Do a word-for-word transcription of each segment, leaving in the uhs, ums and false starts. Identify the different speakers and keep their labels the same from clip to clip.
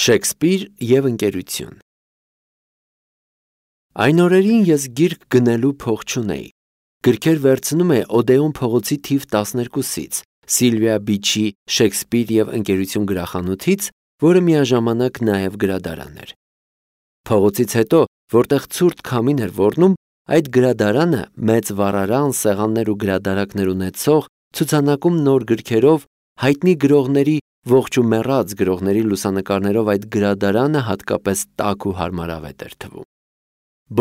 Speaker 1: Շեքսպիր և ընկերություն։ Այն օրերին ես գիրք գնելու փող չունեի։ Գրքեր վերցնում էի Օդեոն փողոցի թիվ տասներկուսից, Սիլվիա Բիչի Շեքսպիր և ընկերություն գրախանութից, որը միաժամանակ նաև գրադարան էր։ Փողոցից հետո, որտեղ ցուրտ քամին էր ոռնում, այդ գրադարանը մեծ վառարան, սեղաններ ու գրադարակներ ունեցող, ցուցանակում նոր գրքերով, հայտնի գրողների, ողջ ու մեռած գրողների լուսանկարներով այդ գրադարանը հատկապես տաք ու հարմարավետ էր թվում։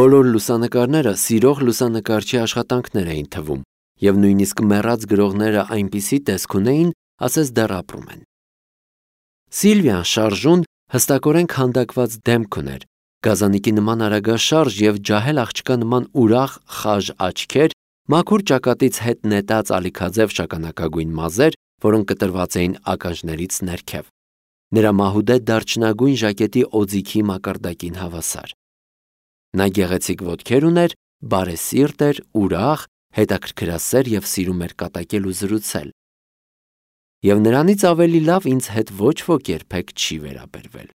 Speaker 1: Բոլոր լուսանկարները սիրող լուսանկարչի աշխատանքներ էին թվում, և նույնիսկ մեռած գրողները այնպիսի տեսք ունեին, ասես դեռ ապրում են։ Սիլվիան շարժուն, հստակորեն քանդակված դեմք ուներ, գազանիկի նման արագաշարժ և ջահել աղջկա նման ուրախ, խաժ աչքեր, մաքուր ճակատից հետ նետած ալիքաձև շագանակագույն մազեր, որոնք կտրված էին ականջներից ներքև։ Նրա մահուդե դարչնագույն ժակետի օձիքի մակարդակին հավասար։ Նա գեղեցիկ ոտքեր ուներ, բարեսիրտ էր, ուրախ, հետաքրքրասեր և սիրում էր կատակել ու զրուցել։ Եվ նրանից ավելի լավ ինձ հետ ոչ ոք երբեք չի վերաբերվել։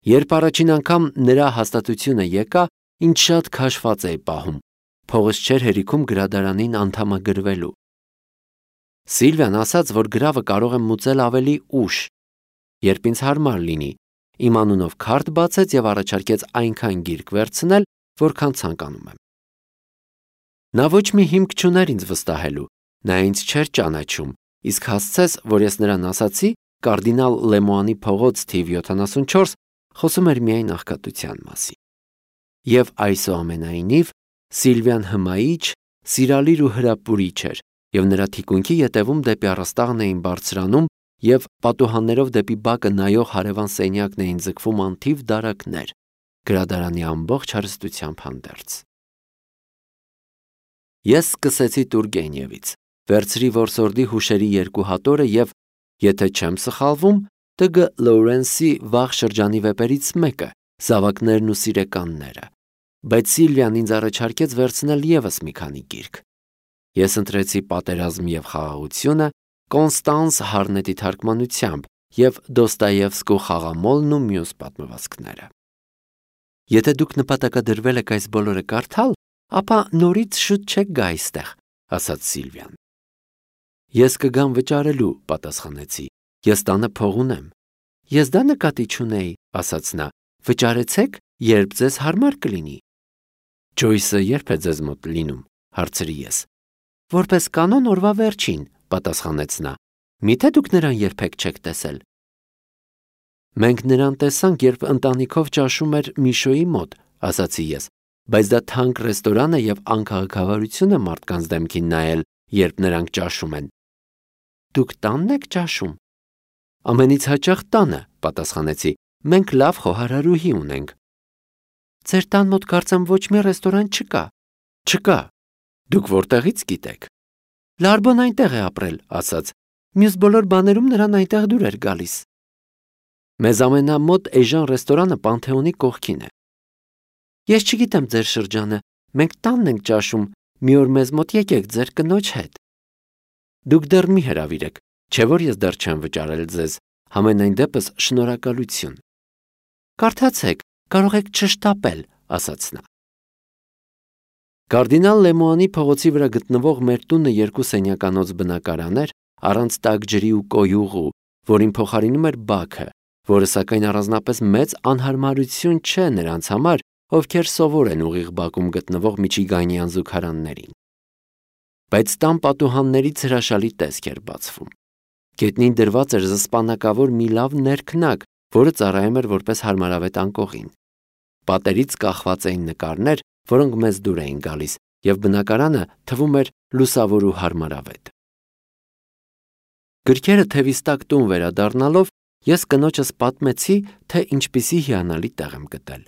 Speaker 1: Երբ առաջին անգամ նրա հաստատությունը եկա, ինձ շատ քաշված էի պահում, փողս չէր հերիքում գրադարանին անդամագրվելու։ Սիլվիան ասաց, որ գրավը կարող եմ մուծել ավելի ուշ, երբ ինձ հարմար լինի, իմ անունով քարտ բացեց և առաջարկեց այնքան գիրք վերցնել, որքան ցանկանում եմ։ Նա ոչ մի հիմք չուներ ինձ վստահելու, նա ինձ չէր ճանաչում, իսկ հասցես, որ ես նրան ասացի, կարդինալ Լեմուանի փողոց թիվ յոթանասունչորս խոսում էր միայն աղքատության մասին։ Եվ այսուամենայնիվ, Սիլվիան հմայիչ, սիրալիր ու հրապուրիչ էր, և նրա թիկունքի ետևում դեպի առաստաղն էին բարձրանում և պատուհաններով դեպի բակը նայող հարևան սենյակն էին ձգվում անթիվ դարակներ, գրադարանի ամբողջ հարստությամբ հանդերձ։ Ես սկսեցի Տուրգենևից, վերցրի որսորդի հուշերի երկու հատորը և, եթե չեմ սխալվում, Տ Գ Լոուրենսի վաղ շրջանի վեպերից մեկը՝ Զավակներն ու սիրեկանները, բայց Սիլվիան ինձ առաջարկեց վերցնել ևս մի քանի գիրք։ Ես ընտրեցի Պատերազմ և խաղաղությունը, Կոնստանս Հարնետի թարգմանությամբ և Դոստոևսկու Խաղամոլն ու մյուս պատմվածքները։ Եթե դուք նպատակադրվել եք այս բոլորը կարդալ, ապա նորից շուտ չեք գա այստեղ, ասաց Սիլվիան։ Ես կգամ վճարելու, պատասխանեցի, ես տանը փող ունեմ։ Ես դա նկատի չունեի, ասաց նա, վճարեցեք, երբ ձեզ հարմար կլինի։ Ջոյսը երբ է ձեզ մոտ լինում, հարցրի ես։ Որպես կանոն օրվա վերջին, պատասխանեց նա, միթե դուք նրան երբեք չեք տեսել։ Մենք նրան տեսանք, երբ ընտանիքով ճաշում էր Միշոյի մոտ, ասացի ես, բայց դա թանկ ռեստորան է և անքաղաքավարություն է մարդկանց դեմքին նայել, երբ նրանք ճաշում են։ Դուք տանն եք ճաշում։ Ամենից հաճախ տանը, պատասխանեցի, մենք լավ խոհարարուհի ունենք։ Ձեր տան մոտ կարծեմ ոչ մի ռեստորան չկա։ Չկա։ Դուք որտեղից գիտեք։ Լարբոն այնտեղ է ապրել, ասաց, մյուս բոլոր բաներում նրան այնտեղ դուր էր գալիս։ Մեզ ամենամոտ էժան ռեստորանը Պանթեոնի կողքին է։ Ես չգիտեմ ձեր շրջանը, մենք տանն ենք ճաշում, մի օր մեզ մոտ եկեք ձեր կնոջ հետ։ Դուք դեռ մի հրավիրեք, չէ՞ որ ես դեռ չեմ վճարել ձեզ, համենայն դեպս շնորհակալություն։ Կարդացեք, կարող եք չշտապել, ասաց նա։ Կարդինալ Լեմուանի փողոցի վրա գտնվող մեր տունը երկու սենյականոց բնակարան էր, առանց տաք ջրի ու կոյուղու, որին փոխարինում էր բաքը, որը սակայն առանձնապես մեծ անհարմարություն չէ նրանց համար, ովքեր սովոր են ուղիղ բակում գտնվող միչիգանյան զուգարաններին։ Բայց տան պատուհաններից հրաշալի տեսք էր բացվում։ Գետնին դրված էր զսպանակավոր մի լավ ներքնակ, որը ծառայում էր որպես հարմարավետ անկողին։ Պատերից կախված էին նկարներ, որոնք մեզ դուր էին գալիս, և բնակարանը թվում էր լուսավոր ու հարմարավետ։ Գրքերը թևիս տակ տուն վերադառնալով, ես կնոջս պատմեցի, թե ինչպիսի հիանալի տեղ եմ գտել։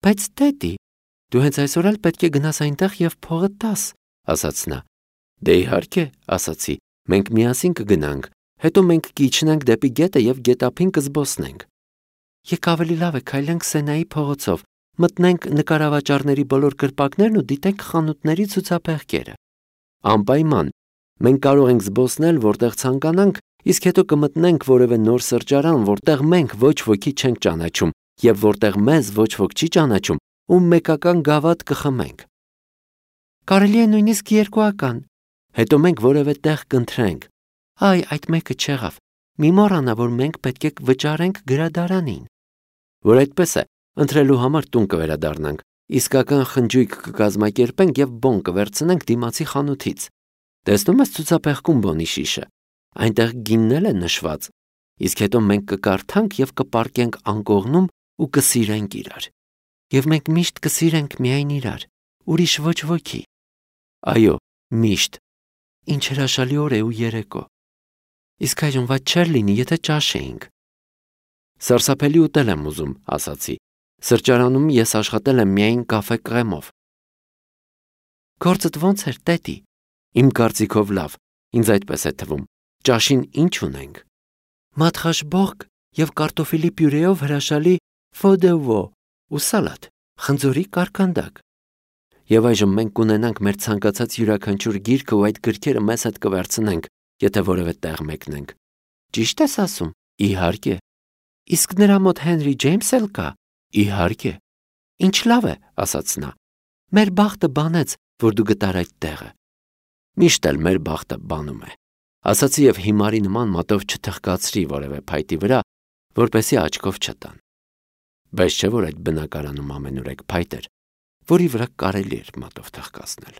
Speaker 1: Բայց տետի, դու հենց այսօր էլ պետք է գնաս այնտեղ և փողը տաս, ասաց նա։ Դե իհարկե, ասացի, մենք միասին կգնանք, հետո մենք կիջնենք դեպի գետը և գետափին կզբոսնենք։ Եկ ավելի լավ է քայլենք Սենայի փողոցով, մտնենք նկարավաճառների բոլոր կրպակներն ու դիտենք խանութների ցուցափեղկերը։ Անպայման, մենք կարող ենք զբոսնել որտեղ ցանկանանք Իսկ հետո կմտնենք որևէ նոր սրճարան, որտեղ մենք ոչ ոքի չենք ճանաչում եւ որտեղ մեզ ոչ ոք չի ճանաչում, ու մեկական գավաթ կխմենք։ Կարելի է նույնիսկ երկուական։ Հետո մենք որևէ տեղ կընտրենք։ Այ, այդ մեկը չեղավ։ Մի մոռանա, որ մենք պետք է վճարենք գրադարանին։ Որ այդպես է, ընտրելու համար տուն կվերադառնանք, իսկական խնջույք կկազմակերպենք եւ բոն կվերցնենք դիմացի խանութից։ Տեսնում ես ցուցափեղկում բոնի շիշը։ Այնտեղ գինն է նշված։ Իսկ հետո մենք կկարդանք եւ կպարկենք անկողնում ու կսիրենք իրար։ Եվ մենք միշտ կսիրենք միայն իրար, ուրիշ ոչ ոքի։ Այո, միշտ։ Ինչ հրաշալի օր է ու երեկո։ Իսկ այժմ ված չէր լինի, եթե ճաշեինք։ Սարսափելի ուտել եմ ուզում, ասացի։ Սրճարանում ես աշխատել եմ միայն կաֆե կրեմով։ Գործդ ո՞նց էր, տետի։ Իմ կարծիքով լավ, ինձ այդպես է թվում։ Ճաշին ինչ ունենք։ Մատխաշբողկ եւ կարտոֆիլի պյուրեով հրաշալի ֆոդեվո ու սալատ, խնձորի կարկանդակ։ Եվ այժմ մենք կունենանք մեր ցանկացած յուրաքանչյուր գիրքը ու այդ գրքերը մեզ հետ կվերցնենք, եթե որևէ տեղ մեկնենք։ Ճիշտ ես ասում։ Իհարկե։ Իսկ նրա մոտ Հենրի Ջեյմսը կա։ Իհարկե։ Ինչ լավ է, ասաց նա։ Մեր բախտը բանեց, որ դու գտար այդ տեղը։ Միշտ էլ մեր բախտը բանում է, ասացի եւ հիմարի նման մատով չթխկացրի որևէ փայտի վրա, որպեսզի աչքով չտան։ Բայց չէ որ այդ բնակարանում ամենուրեք փայտ էր, որի վրա կարելի էր մատով թխկացնել։